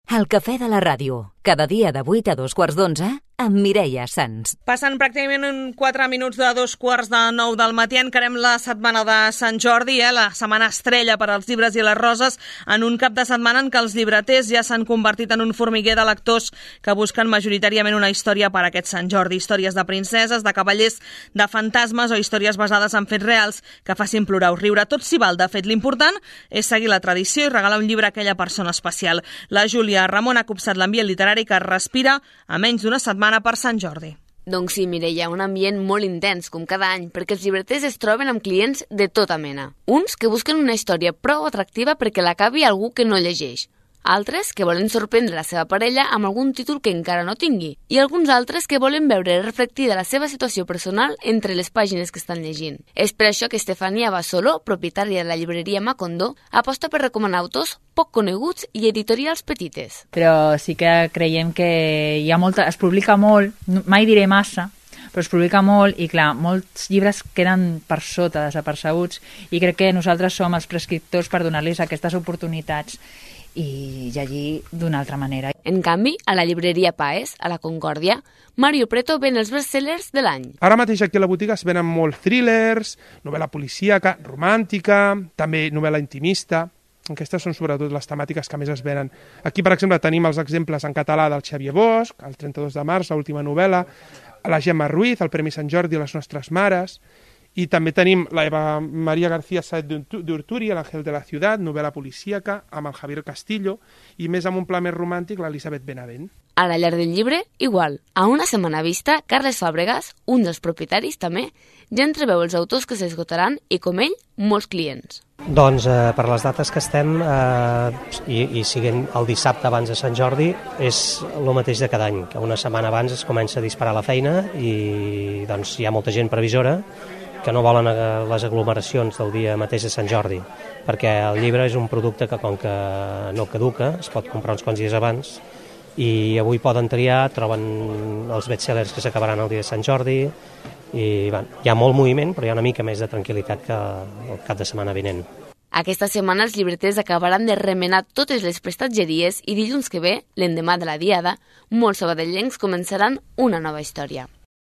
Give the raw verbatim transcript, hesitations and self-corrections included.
El cafè de la ràdio, cada dia de vuit a dos quarts d'onze, amb Mireia Sans. Passen pràcticament quatre minuts de dos quarts de nou del matí. Encarem la setmana de Sant Jordi, eh? la setmana estrella per als llibres i les roses, en un cap de setmana en què els llibreters ja s'han convertit en un formiguer de lectors que busquen majoritàriament una història per a aquest Sant Jordi. Històries de princeses, de cavallers, de fantasmes o històries basades en fets reals que facin plorar o riure. Tot s'hi val. De fet, l'important és seguir la tradició i regalar un llibre a aquella persona especial. La Júlia Ramon ha copsat l'ambient literari que es respira a menys d'una setmana per Sant Jordi. Doncs sí, Mireia, un ambient molt intens, com cada any, perquè els llibreters es troben amb clients de tota mena. Uns que busquen una història prou atractiva perquè l'acabi algú que no llegeix. Altres que volen sorprendre la seva parella amb algun títol que encara no tingui. I alguns altres que volen veure reflectida la seva situació personal entre les pàgines que estan llegint. És per això que Estefania Basolo, propietària de la llibreria Macondo, aposta per recomanar autors poc coneguts i editorials petites. Però sí que creiem que hi ha molta, es publica molt, mai diré massa, però es publica molt i, clar, molts llibres queden per sota, desapercebuts, i crec que nosaltres som els prescriptors per donar-los aquestes oportunitats i llegir d'una altra manera. En canvi, a la llibreria Paes, a la Concòrdia, Mario Preto ven els bestsellers de l'any. Ara mateix aquí a la botiga es venen molt thrillers, novel·la policíaca, romàntica, també novel·la intimista. Aquestes són sobretot les temàtiques que més es venen. Aquí, per exemple, tenim els exemples en català del Xavier Bosch, el trenta-dos de març, l'última novel·la, la Gemma Ruiz, el Premi Sant Jordi a les nostres mares, i també tenim la Eva Maria García Saez d'Urturi, l'Àngel de la Ciutat, novel·la policíaca, amb el Javier Castillo, i més amb un pla més romàntic, l'Elisabet Benavent. A la llar del llibre, igual. A una setmana vista, Carles Fàbregas, un dels propietaris també, ja entreveu els autors que s'esgotaran i, com ell, molts clients. Doncs eh, per les dates que estem, eh, i, i siguent el dissabte abans de Sant Jordi, és el mateix de cada any, que una setmana abans es comença a disparar la feina i doncs, hi ha molta gent previsora que no volen les aglomeracions del dia mateix de Sant Jordi, perquè el llibre és un producte que, com que no caduca, es pot comprar uns quants dies abans, i avui poden triar, troben els bestsellers que s'acabaran el dia de Sant Jordi, i bueno, hi ha molt moviment, però hi ha una mica més de tranquil·litat que el cap de setmana vinent. Aquesta setmana els llibreters acabaran de remenar totes les prestatgeries i dilluns que ve, l'endemà de la diada, molts sabadellencs començaran una nova història.